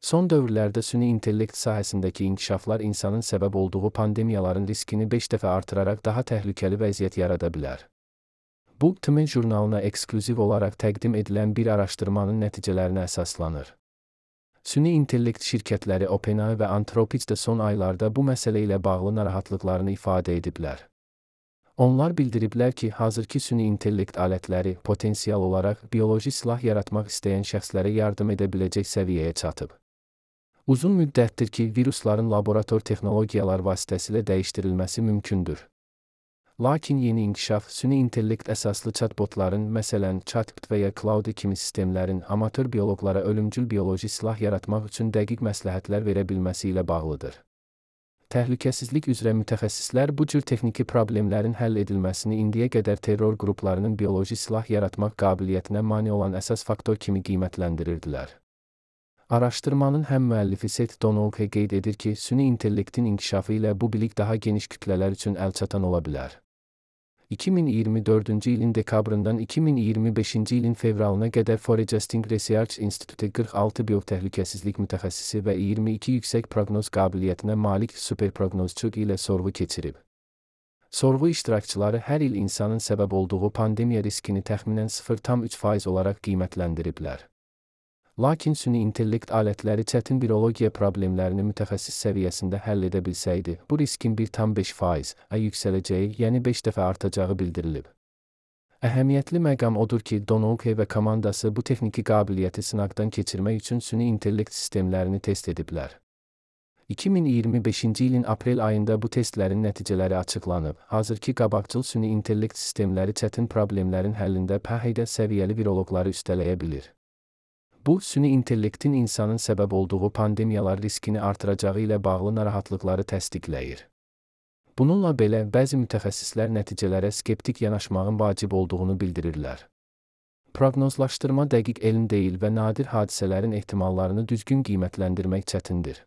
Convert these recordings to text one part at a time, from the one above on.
Son dövrlərdə süni intellekt sahəsindəki inkişaflar insanın səbəb olduğu pandemiyaların riskini 5 dəfə artıraraq daha təhlükəli vəziyyət yarada bilər. Bu, TME jurnalına eksklüziv olaraq təqdim edilən bir araşdırmanın nəticələrinə əsaslanır. Süni intellekt şirkətləri OpenAI və Anthropic də son aylarda bu məsələ ilə bağlı narahatlıqlarını ifadə ediblər. Onlar bildiriblər ki, hazırki süni intellekt alətləri potensial olaraq bioloji silah yaratmaq istəyən şəxslərə yardım edə biləcək səviyyəyə çatıb. Uzun müddətdir ki, virusların laborator texnologiyalar vasitəsilə dəyişdirilməsi mümkündür. Lakin yeni inkişaf, süni intellekt əsaslı chatbotların, məsələn, ChatGPT və ya Claude kimi sistemlərin amatör bioloqlara ölümcül bioloji silah yaratmaq üçün dəqiq məsləhətlər verə bilməsi ilə bağlıdır. Təhlükəsizlik üzrə mütəxəssislər bu cür texniki problemlərin həll edilməsini indiyə qədər terror qruplarının bioloji silah yaratmaq qabiliyyətinə mane olan əsas faktor kimi qiymətləndirirdilər. Araşdırmanın həm müəllifi Seth Donalke qeyd edir ki, süni intellektin inkişafı ilə bu bilik daha geniş kütlələr üçün əlçatan ola bilər. 2024-cü ilin dekabrından 2025-ci ilin fevralına qədər Forecasting Research Institute 46 biotəhlükəsizlik mütəxəssisi və 22 yüksək proqnoz qabiliyyətinə malik superproqnozçu ilə sorğu keçirib. Sorğu iştirakçıları hər il insanın səbəb olduğu pandemiya riskini təxminən 0,3% olaraq qiymətləndiriblər. Lakin süni intellekt alətləri çətin biologiya problemlərini mütəxəssis səviyyəsində həll edə bilsəydi, bu riskin 1,5% yüksələcəyi, yəni 5 dəfə artacağı bildirilib. Əhəmiyyətli məqam odur ki, Donalke və komandası bu texniki qabiliyyəti sınaqdan keçirmək üçün süni intellekt sistemlərini test ediblər. 2025-ci ilin aprel ayında bu testlərin nəticələri açıqlanıb. Hazırki qabaqcıl süni intellekt sistemləri çətin problemlərin həllində pəhədə səviyyəli viroloqları üstələyə bilir. Bu, süni intellektin insanın səbəb olduğu pandemiyalar riskini artıracağı ilə bağlı narahatlıqları təsdiqləyir. Bununla belə, bəzi mütəxəssislər nəticələrə skeptik yanaşmağın vacib olduğunu bildirirlər. Proqnozlaşdırma dəqiq elm deyil və nadir hadisələrin ehtimallarını düzgün qiymətləndirmək çətindir.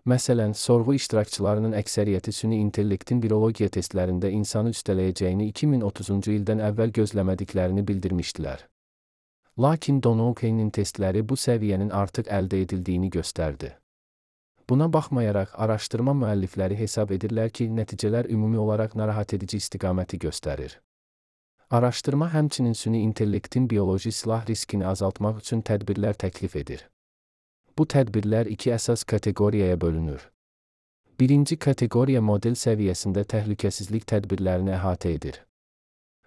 Məsələn, sorğu iştirakçılarının əksəriyyəti süni intellektin virologiya testlərində insanı üstələyəcəyini 2030-cu ildən əvvəl gözləmədiklərini bildirmişdilər. Lakin Donalke'nin testləri bu səviyyənin artıq əldə edildiyini göstərdi. Buna baxmayaraq, araşdırma müəllifləri hesab edirlər ki, nəticələr ümumi olaraq narahat edici istiqaməti göstərir. Araşdırma həmçinin süni intellektin bioloji silah riskini azaltmaq üçün tədbirlər təklif edir. Bu tədbirlər iki əsas kateqoriyaya bölünür. Birinci kateqoriya model səviyyəsində təhlükəsizlik tədbirlərini əhatə edir.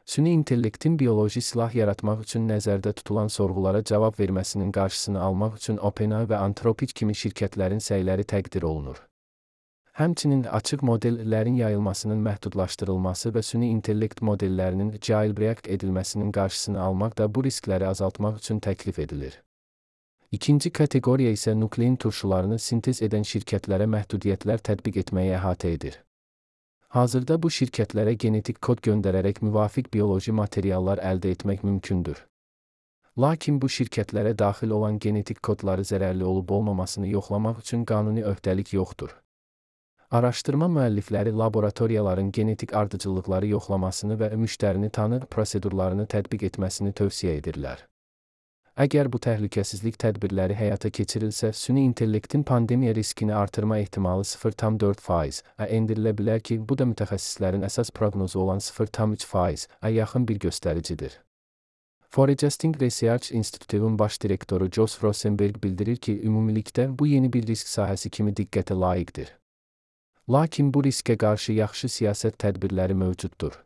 Süni intellektin bioloji silah yaratmaq üçün nəzərdə tutulan sorğulara cavab verməsinin qarşısını almaq üçün OpenAI və Anthropic kimi şirkətlərin səyləri təqdir olunur. Həmçinin açıq modellərin yayılmasının məhdudlaşdırılması və süni intellekt modellərinin jailbreak edilməsinin qarşısını almaq da bu riskləri azaltmaq üçün təklif edilir. İkinci kateqoriya isə nuklein turşularını sintez edən şirkətlərə məhdudiyyətlər tətbiq etməyi əhatə edir. Hazırda bu şirkətlərə genetik kod göndərərək müvafiq bioloji materiallar əldə etmək mümkündür. Lakin bu şirkətlərə daxil olan genetik kodları zərərli olub-olmamasını yoxlamaq üçün qanuni öhdəlik yoxdur. Araşdırma müəllifləri laboratoriyaların genetik ardıcıllıqları yoxlamasını və müştərini tanı prosedurlarını tətbiq etməsini tövsiyə edirlər. Əgər bu təhlükəsizlik tədbirləri həyata keçirilsə, süni intellektin pandemiya riskini artırma ehtimalı 0,4% endirilə bilər ki, bu da mütəxəssislərin əsas proqnozu olan 0,3% yaxın bir göstəricidir. Forecasting Research Institute'un baş direktoru Josh Rosenberg bildirir ki, ümumilikdə bu yeni bir risk sahəsi kimi diqqətə layiqdir. Lakin bu riskə qarşı yaxşı siyasət tədbirləri mövcuddur.